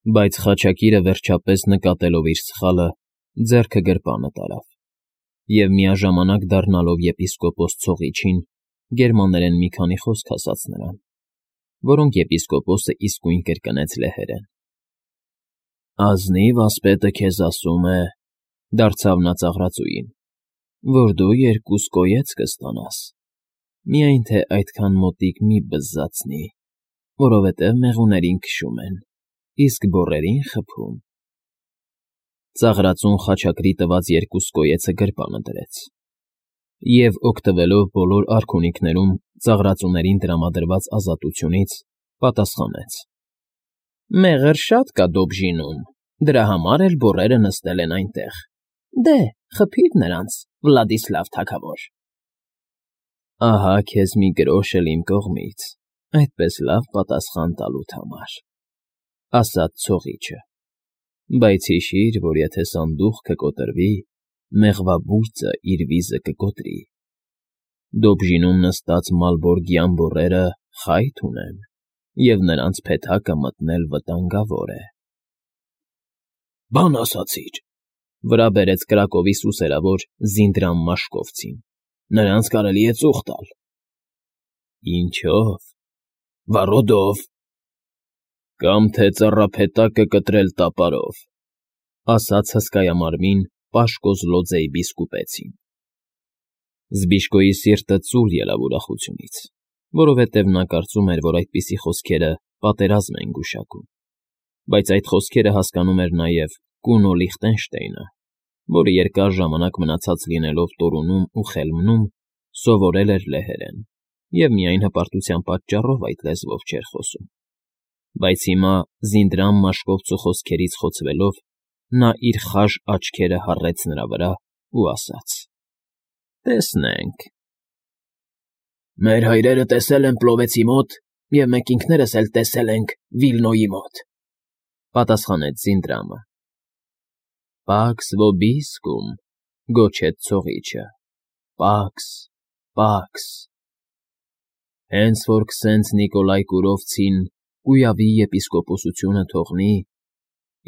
Բայց խաչակիրը վերջապես նկատելով իր սխալը, ձեռքը գրպանը տարավ և, միաժամանակ դառնալով եպիսկոպոս ցողիչին, գերմաներեն մի քանի խոսք ասաց նրան, որոնք եպիսկոպոսը իսկույն կրկնեց լեհերեն։ «Ազնիվ ասպետը քեզ ասում է,֊ դարձավ նա ծաղրածուին,֊ որ դու 2 կոյեց կստանաս, միայն թե այդքան մոտիկ մի բզզացնի, որովհետև մեղուներին քշում են, իսկ բոռերին խփում»։ Ծաղրածուն խաչակրի տված 2 կոյեցը գրպանը դրեց և, օգտվելով բոլոր արքունիքներում ծաղրածուներին տրամադրված ազատությունից, պատասխանեց. «Մեղր շատ կա Դոբժինում, դրա համար էլ բոռերը նստել են այնտեղ, դե, խփիր նրանց, Վլադիսլավ թագավոր»։ «Ահա քեզ մի գրոշ էլ իմ կողմից այդպես լավ պատասխան տալուդ համար,֊ ասաց ցողիչը,֊ բայց հիշիր, որ եթե սանդուղքը կոտրվի, մեղվաբույծը իր վիզը կկոտրի։ Դոբժինում նստած մալբորգյան բոռերը խայթ ունեն, և նրանց փեթակը մտնել վտանգավոր է»։ «Բան ասացիր,֊ վրա բերեց Կրակովի սուսերավոր Զինդրամ Մաշկովցին,֊ նրանց կարելի է ծուխ տալ»։ «Ինչո՞վ»։ «Վառոդով»։ «Կամ թե ծառափետակը կտրել տապարով»,֊ ասաց հսկայամարմին Պաշկոզլոձեի բիսկուպեցին։ Զբիշկոյի սիրտը ծուլ ելավ ուրախությունից, որովհետև նա կարծում էր, որ այդպիսի խոսքերը պատերազմ են գուշակում, բայց այդ խոսքերը հասկանում էր նաև Կունո Լիխտենշտեյնը, որը երկար ժամանակ մնացած լինելով Տորունում ու Խելմնում, սովորել էր լեհերեն և միայն հպարտության պատճառով այդ լեզվով չէր խոսում։ Բայց հիմա, Զինդրամ Մաշկովցու խոսքերից խոցվելով, նա իր խաժ աչքերը հառեց նրա վրա ու ասաց. «Տեսնենք»։ «Մեր հայրերը տեսել են Պլովեցի մոտ, և մենք ինքներս էլ տեսել ենք Վիլնոյի մոտ,֊ պատասխանեց Զինդրամը։ «Pax vobiscum,֊ գոչեց ցողիչը,֊ pax, pax»։ «Հենց որ քսենց Նիկոլայ Կուրովցին կույավի եպիսկոպոսությունը թողնի,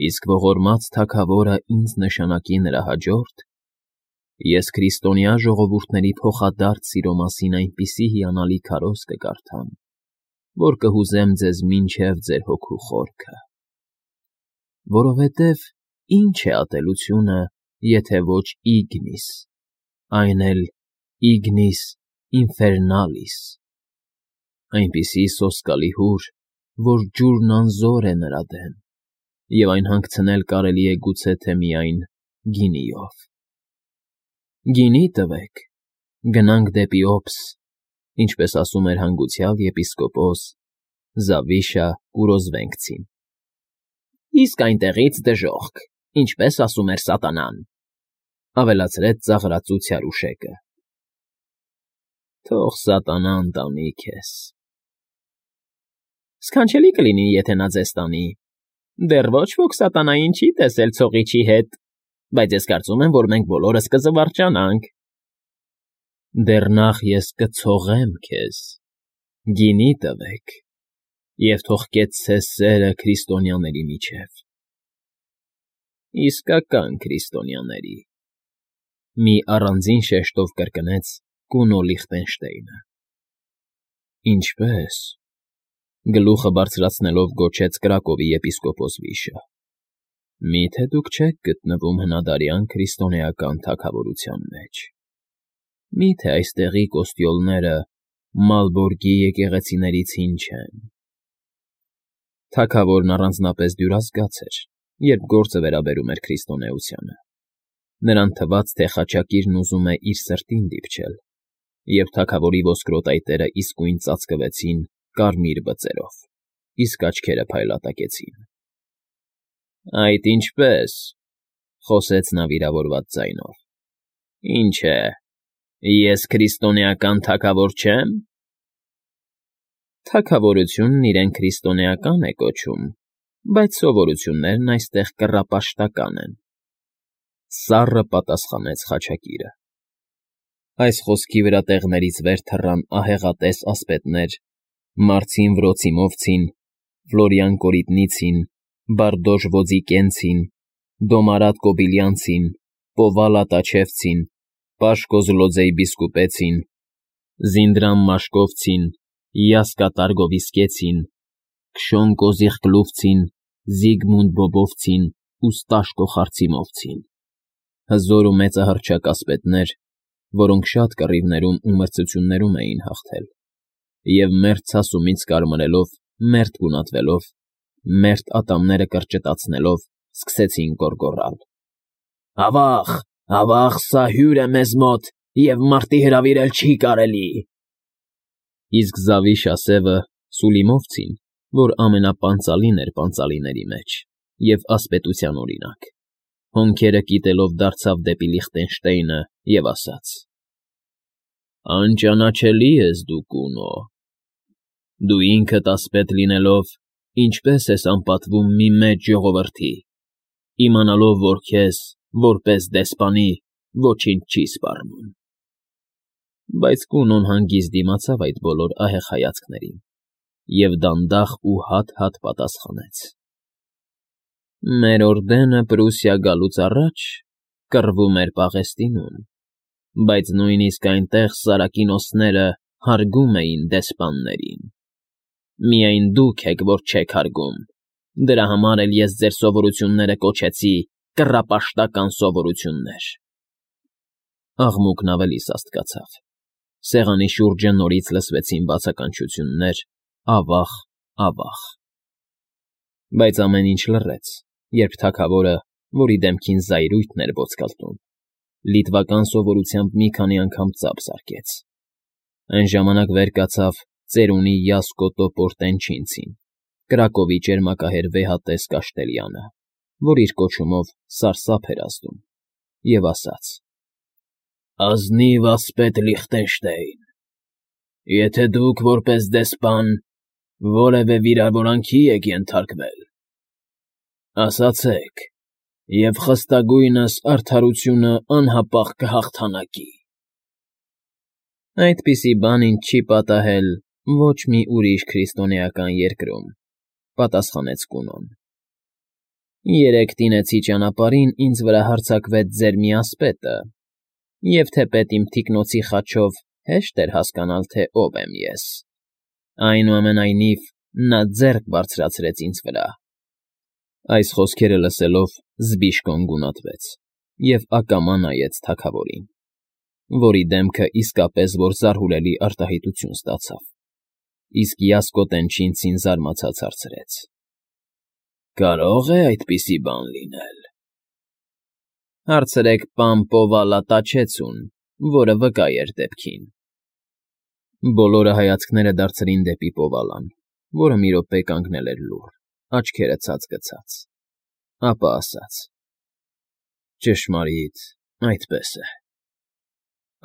իսկ ողորմած թագավորը ինձ նշանակի նրա հաջորդ, ես քրիստոնյա ժողովուրդների փոխադարձ սիրո մասին այնպիսի հիանալի քարոզ կկարդամ, որ կհուզեմ ձեզ մինչև ձեր հոգու խորքը։ Որովհետև ի՞նչ է ատելությունը, եթե ոչ ignis, այն էլ ignis infernalis, այնպիսի սոսկալի հուր, որ ջուրն անզոր է նրա դեմ, և այն հանգցնել կարելի է գուցե թե միայն գինիով։ Գինի տվեք, գնանք դեպի Օբս, ինչպես ասում էր հանգուցյալ եպիսկոպոս Զավիշա Կուրոզվենքցին։ Իսկ այնտեղից դժոխք, ինչպես ասում էր սատանան,֊ ավելացրեց ծաղրածու Ցարուշեկը։ Թող սատանան տանի քեզ։ Սքանչելի կլինի, եթե նա ձեզ տանի, դեռ ոչ ոք սատանային չի տեսել ցողիչի հետ, բայց ես կարծում եմ, որ մենք բոլորս կզվարճանանք։ Դեռ նախ ես կցողեմ քեզ, գինի տվեք, և թող կեցցե սերը քրիստոնյաների միջև։ Իսկական քրիստոնյաների,֊ մի առանձին շեշտով կրկնեց Կունո Լիխտենշտեյնը։ Ինչպե՞ս,֊ գլուխը բարձրացնելով գոչեց Կրակովի եպիսկոպոս Վիշը,֊ մի՞թե դուք չեք գտնվում հնադարյան քրիստոնեական թագավորության մեջ։ Մի՞թե այստեղի կոստյոլները Մալբորգի եկեղեցիներից հին չեն։ Թագավորն առանձնապես դյուրազգաց էր, երբ գործը վերաբերում էր քրիստոնեությանը։ Նրան թվաց, թե խաչակիրն ուզում է իր սրտին դիպչել, և թագավորի ոսկրոտ այտերը իսկույն ծածկվեցին կարմիր բծերով, իսկ աչքերը փայլատակեցին։ Այդ ինչպե՞ս,֊ խոսեց նա վիրավորված ձայնով։ Ինչ է, ես քրիստոնեական թագավոր չեմ։ Թագավորությունն իրեն քրիստոնեական է կոչում, բայց սովորություններն այստեղ կռապաշտական են,֊ սառը պատասխանեց խաչակիրը։ Այս խոսքի վրա տեղներից վեր թռան ահեղատես ասպետներ Մարցին Վրոցիմովցին, Ֆլորիան Կորիտնիցին, Բարդոժ Ոձիկենցին, Դոմարատ Կոբիլյանցին, Պովալա Տաչևցին, Պաշկոզ Լոձեյ Բիսկուպեցին, Զինդրամ Մաշկովցին, Յասկա Տարգովիսկեցին, Քշոն Կոզիխկլուվցին, Զիգմունդ Բոբովցին ու Ստաշկո Խարցիմովցին, հզոր ու մեծահռչակ ասպետներ, որոնք շատ կռիվներում ու մրցություններում էին հաղթել, և մերթ ցասումից կարմրելով, մերթ գունատվելով, մերթ ատամները կրճտացնելով, սկսեցին գոռգոռալ. «Ավա՜ղ, ավա՜ղ, սա հյուր է մեզ մոտ, և մարտի հրավիրել չի կարելի»։ Իսկ Զավիշ ասևը Սուլիմովցին, որ ամենապանծալին էր պանծալիների մեջ և ասպետության օրինակ, հոնքերը կիտելով դարձավ դեպի Լիխտենշտեյնը և ասաց. «Անճանաչելի ես դու, Կունո, դու ինքդ ասպետ լինելով, ինչպե՞ս ես անպատվում մի մեծ ժողովրդի, իմանալով, որ քեզ, որպես դեսպանի, ոչինչ չի սպառնում»։ Բայց Կունոն հանգիստ դիմացավ այդ բոլոր ահեղ հայացքներին և դանդաղ ու հատ-հատ պատասխանեց. «Մեր օրդենը Պրուսիա գալուց առաջ կռվում էր Պաղեստինում, բայց նույնիսկ այնտեղ Սարակինոսները հարգում էին դեսպաններին։ Միայն դուք եք, որ չեք հարգում, դրա համար էլ ես ձեր սովորությունները կոչեցի կռապաշտական սովորություններ»։ Աղմուկն ավելի սաստկացավ, սեղանի շուրջը նորից լսվեցին բացականչություններ, ավախ, ավախ։ Բայց ամեն ինչ լռեց, երբ թագավորը, որի դեմքին զայրույթն էր ոնցկալտում, լիտվական սովորությամբ մի քանի անգամ ծափ զարկեց։ Այն ժամանակ վեր կացավ ծերունի Յասկո Տոպորտենչինցին, Կրակովի ճերմակահեր վեհատես Կաշտելյանը, որ իր կոչումով սարսափ էր ազդում, և ասաց. «Ազնիվ ասպետ Լիխտենշտեյն, եթե դուք, որպես դեսպան, որևէ վիրավորանքի եք ենթարկվել, ասացեք, և խստագույնս արդարությունը անհապաղ կհաղթանակի»։ «Այդպիսի բան ինձ չի պատահել ոչ մի ուրիշ քրիստոնեական երկրում», պատասխանեց Կունոն։ «Երեկ տինեցի ճանապարհին ինձ վրա հարձակվեց ձեր մի ասպետը, և թեպետ իմ թիկնոցի խաչով հեշտ էր հասկանալ, թե ով եմ ես, այնուամենայնիվ նա ձեռք բարձրացրեց ինձ վրա»։ Այս խոսքերը լսելով Զբիշկոն գունատվեց և ակամա նայեց թագավորին, որի դեմքը իսկապես որ զարհուրելի արտահայտություն ստացավ, իսկ Յասկո Տենչինցին զարմացած հարցրեց. «Կարո՞ղ է այդպիսի բան լինել»։ «Հարցրեք պան Պովալա Տաչեցուն, որը վկա էր դեպքին»։ Բոլորը հայացքները դարձրին դեպի Պովալան, որը մի րոպե կանգնել էր լուռ, աչքերը ցած գցած, ապա ասաց. «Ճշմարիտ, այդպես է»։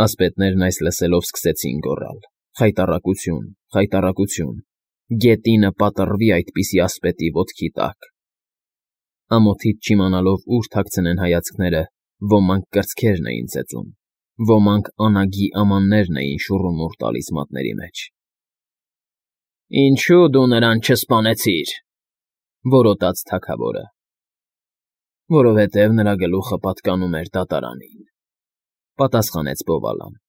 Ասպետներն այս լսելով սկսեցին գոռալ. «Խայտառակություն, խայտառակություն, գետինը պատռվի այդպիսի ասպետի ոտքի տակ»։ Ամոթից չիմանալով ուր թաքցնեն հայացքները, ոմանք կրծքերն էին ծեծում, ոմանք անագի ամաններն էին շուռումուռ տալիս մատների մեջ։ «Ինչո՞ւ դու նրան չսպանեցիր», որոտաց թագավորը։ «Որովհետև նրա գլուխը պատկանում էր դատարանին», պատասխանեց Պովալան։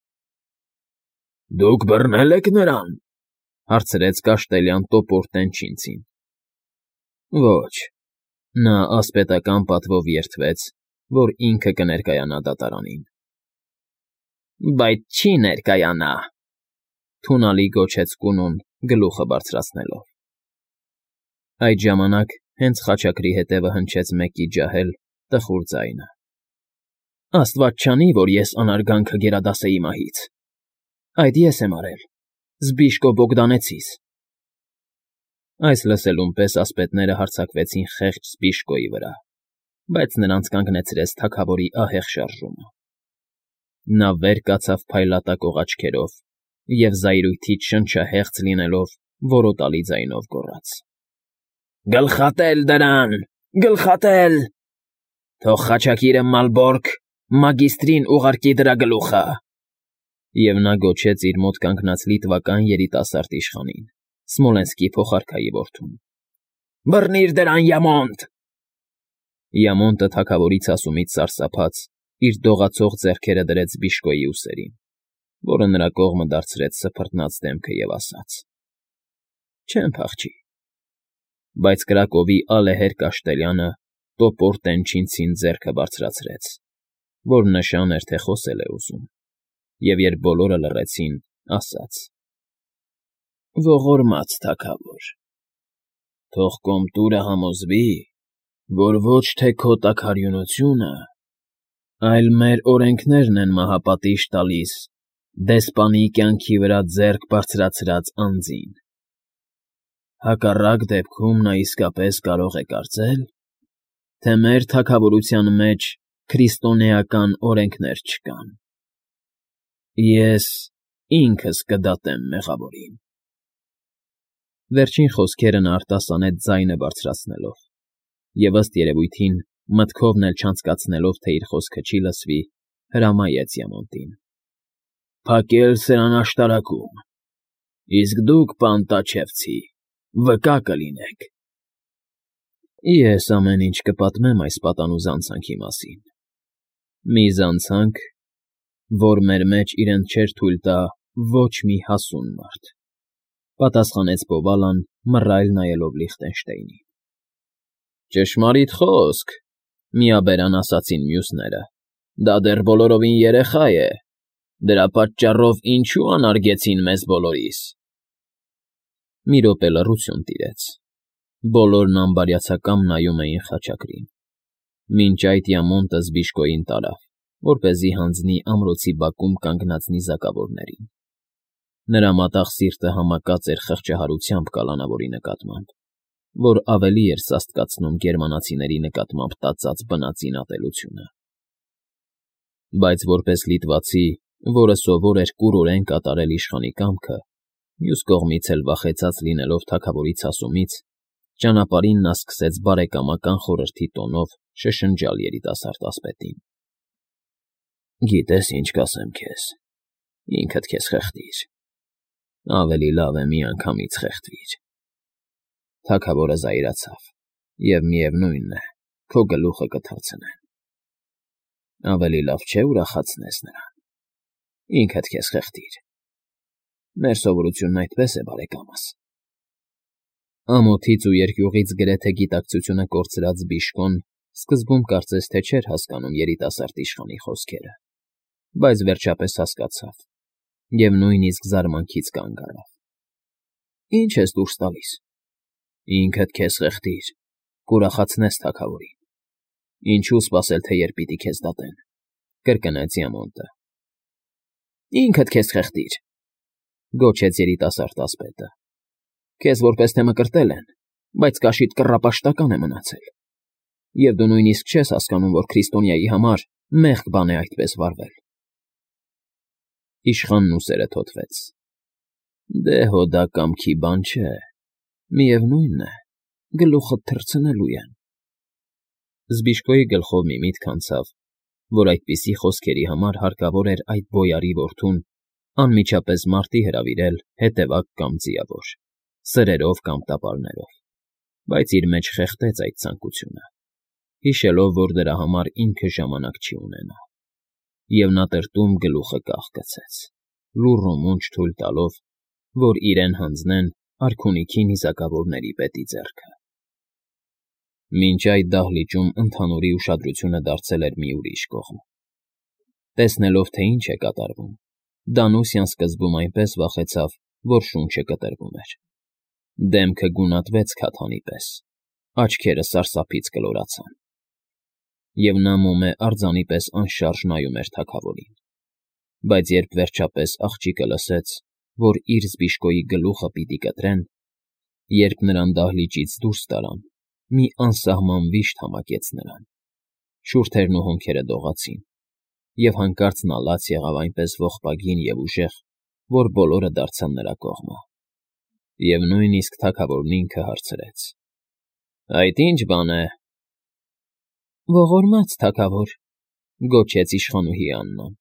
«Դուք բռնե՞լ եք նրան», հարցրեց Կաշտելյան Տոպորտենչինցին։ «Ոչ, նա ասպետական պատվով երդվեց, որ ինքը կներկայանա դատարանին»։ «Բայց չի ներկայանա», թունալի գոչեց Կունոն, գլուխը բարձրացնելով։ Այդ ժամանակ հենց խաչակրի հետևը հնչեց մեկի ջահել, տխուր ձայնը. «Աստված չանի, որ ես անարգանքը գերադասեի մահից։ Այդ ես եմ արել, Զբիշկո Բոգդանեցիս»։ Այս լսելուն պես ասպետները հարձակվեցին խեղճ Զբիշկոյի վրա, բայց նրանց կանգնեցրեց թագավորի ահեղ շարժումը։ Նա վեր կացավ փայլատակող աչքերով և զայրույթից շնչահեղձ լինելով որոտալի ձայնով գոռաց. «Գլխատե՛լ դրան, գլխատե՛լ… Թող խաչակիրը Մալբորգ մագիստրին ուղարկի դրա գլուխը»։ Եվ նա գոչեց իր մոտ կանգնած լիտվական երիտասարդ իշխանին, Սմոլենսկի փոխարքայի որդուն. Բռնիր դրան, Յամոնտ։ Յամոնտը թագավորի ցասումից սարսափած իր դողացող ձեռքերը դրեց Բիշկոյի ուսերին, որը նրա կողմը դարձրեց սփռտնած դեմքը և ասաց. Չեմ փախչի։ Բայց Կրակովի ալեհեր Կաշտելյանը տոպոր տենչինցին ձեռքը բարձրացրեց, որ նշան էր, թե խոսել է ուզում, և երբ բոլորը լռեցին, ասաց. Ողորմած թագավոր, թող Կոմտուրը համոզվի, որ ոչ թե քո տաքարյունությունը, այլ մեր օրենքներն են մահապատիժ տալիս դեսպանի կյանքի վրա ձեռք բարձրացրած անձին։ Հակառակ դեպքում նա իսկապես կարող է կարծել, թե մեր թագավորության մեջ քրիստոնեական օրենքներ չկան։ Ես ինքս կդատեմ մեղավորին։ Վերջին խոսքերը նա արտասանեց ձայնը բարձրացնելով, և ըստ երևույթին, մտքովն էլ չանցկացնելով, թե իր խոսքը չի լսվի, հրամայեց Յամոնտին. Փակել սրան աշտարակում, իսկ դուք, պան Տաչևցի, վկա կլինեք։ Ես ամեն ինչ կպատմեմ այս պատանու զանցանքի մասին։ Մի զանցանք, որ մեր մեջ իրեն չէր թույլ տա ոչ մի հասուն մարդ, պատասխանեց Բովալան, մռայլ նայելով Լիխտենշտեյնին։ Ճշմարիտ խոսք, միաբերան ասացին մյուսները, դա դեռ բոլորովին երեխա է, դրա պատճառով ինչու անարգեցին մեզ բոլորիս։ Մի րոպե լռություն տիրեց, բոլորն անբարյացակամ նայում էին խաչակրին, մինչ այդ Յամոնտը Զբիշկոյին տարավ, որպեսզի հանձնի ամրոցի բակում կանգնած նիզակավորներին։ Նրա մատաղ սիրտը համակած էր խղճահարությամբ կալանավորի նկատմամբ, որ ավելի էր սաստկացնում գերմանացիների նկատմամբ տածած բնածին ատելությունը։ Բայց որպես լիտվացի, որը սովոր էր կուրորեն կատարել իշխանի կամքը, մյուս կողմից էլ վախեցած լինելով թագավորի ցասումից, ճանապարհին նա սկսեց բարեկամական խորհրդի տոնով շշնջալ երիտասարդ ասպետին. Գիտես, ինչ կասեմ քեզ, ինքդ քեզ խեղդիր, ավելի լավ է միանգամից խեղդվիր։ Թագավորը զայրացավ, և միևնույն է, քո գլուխը կթռցնեն։ Ավելի լավ չէ ուրախացնես նրան, ինքդ քեզ խեղդիր։ Մեր սովորությունն այդպես է, բարեկամս։ Ամոթից ու երկյուղից գրեթե գիտակցությունը կորցրած Բիշկոն սկզբում կարծես թե չէր հասկանում երիտասարդ իշխանի խոսքերը, բայց վերջապես հասկացավ և նույնիսկ զարմանքից կանգ առավ։ Ինչ ես դուրս տալիս։ Ինքդ քեզ խեղդիր, կուրախացնես թագավորին։ Ինչու սպասել, թե երբ պիտի քեզ դատեն, կրկնեց Յամոնտը։ Ինքդ քեզ խեղդիր, գոչեց երիտասարդ ասպետը։ Քեզ որպես թե մկրտել են, բայց կաշիդ կռապաշտական է մնացել։ Եվ դու նույնիսկ չես հասկանում, որ քրիստոնյայի համար մեղք բան է այդպես վարվել։ Իշխանն ուսերը թոթվեց։ Դե հո դա կամքի բան չէ, միևնույն է, գլուխդ թռցնելու են։ Զբիշկոյի գլխով մի միտք անցավ, որ այդպիսի խոսքերի համար հարկավոր էր այդ բոյարի որդուն անմիջապես մարտի հրավիրել հետևակ կամ ձիավոր, սրերով կամ տապարներով, բայց իր մեջ խեղդեց այդ ցանկությունը, հիշելով, որ դրա համար ինքը ժամանակ չի ունենա, և նա տրտում գլուխը կախկցեց, լուռ ու մունջ թույլ տալով, որ իրեն հանձնեն արքունիքի նիզակավորների պետի ձեռքը։ Մինչ այդ դահլիճում ընդհանուրի ուշադրությունը դարձել էր մի ուրիշ կողմ։ Տեսնելով, թե ինչ է կատարվում, Դանուսյան սկզբում այնպես վախեցավ, որ շունչը կտրվում էր։ Դեմքը գունատվեց քաթանի պես, աչքերը սարսափից կլորացան։ Եվ նա մոմե արձանի պես անշարժ նայում էր թագավորին։ Բայց երբ վերջապես աղջիկը լսեց, որ իր Զբիշկոյի գլուխը պիտի կտրեն, երբ նրան դահլիճից դուրս տարան, մի անսահման վիշտ համակեց նրան, շուրթերն ու հոնքերը դողացին, և հանկարծ նա լաց եղավ այնպես ողբագին և ուժեղ, որ բոլորը դարձան նրա կողմը, և նույնիսկ թագավորն ինքը հարցրեց. Այդ ի՞նչ բան է։ Ողորմած թագավոր, գոչեց իշխանուհի Աննան,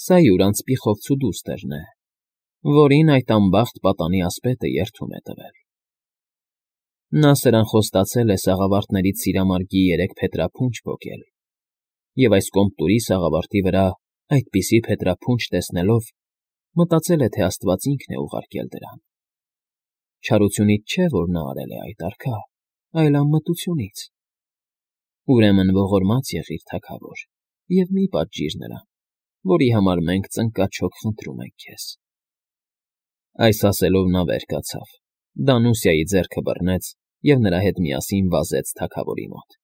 սա յուր անծպիխովցու դուստերն է, որին այդ անբախտ պատանի ասպետը երդում է տվել։ Նա սրան խոստացել է սաղավարտներից սիրամարգի 3 փետրափունջ պոկել, և այս կոմտուրի սաղավարտի վրա այդպիսի փետրափունջ տեսնելով մտածել է, թե աստված ինքն է ուղարկել դրան. չարությունից չէ, որ նա արել է այդ, արքա, այլ անմտությունից։ Ուրեմն ողորմած եղիր, թագավոր, և մի պատժիր նրան, որի համար մենք ծնկաչոք խնդրում ենք քեզ։ Այս ասելով նա վեր կացավ, Դանուսիայի ձեռքը բռնեց և նրա հետ միասին վազեց թագավորի մոտ,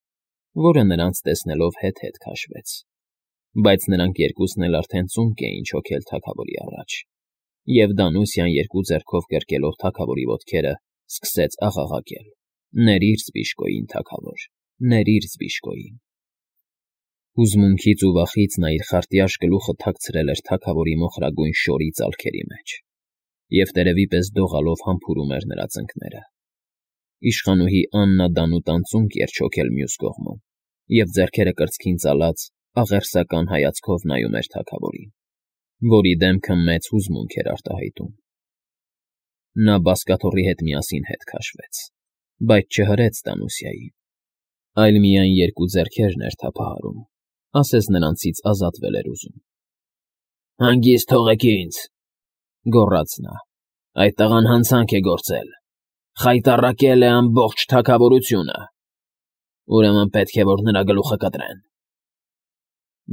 որը նրանց տեսնելով հետ-հետ քաշվեց։ Բայց նրանք երկուսն էլ արդեն ծունկ էին չոքել թագավորի առաջ, և Դանուսիան երկու ձեռքով կրկելով թագավորի ոտքերը, սկսեց աղաղակել. «Ներիր զբիշկոյին, թագավոր, ներիր զբիշկոյին»։ Հուզմունքից ու վախից նա իր խարտյաշ գլուխը թաքցրել էր թագավորի մոխրագույն շորի ծալքերի մեջ և տերևի պես դողալով համբուրում էր նրա ծնկները։ Իշխանուհի Աննա դանուտան ծունկ էր չոքել մյուս կողմում և ձեռքերը կրծքին ծալած աղերսական հայացքով նայում էր թագավորին, որի դեմքը մեծ հուզմունք էր արտահայտում։ Նա բազկաթոռի հետ միասին հետ քաշվեց, բայց չհրեց Դանուսիային, այլ միայն երկու ձեռքերն էր թափահարում, ասես նրանցից ազատվել էր ուզում։ «Հանգիստ թողեք ինձ,֊ գոռաց նա,֊ այդ տղան հանցանք է գործել, խայտառակել է ամբողջ թագավորությունը, ուրեմն պետք է, որ նրա գլուխը կտրեն»։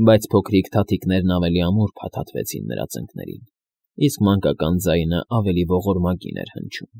Բայց փոքրիկ թաթիկներն ավելի ամուր փաթաթվեցին նրա ծնկներին, իսկ մանկական ձայնը ավելի ողորմագին էր հնչում։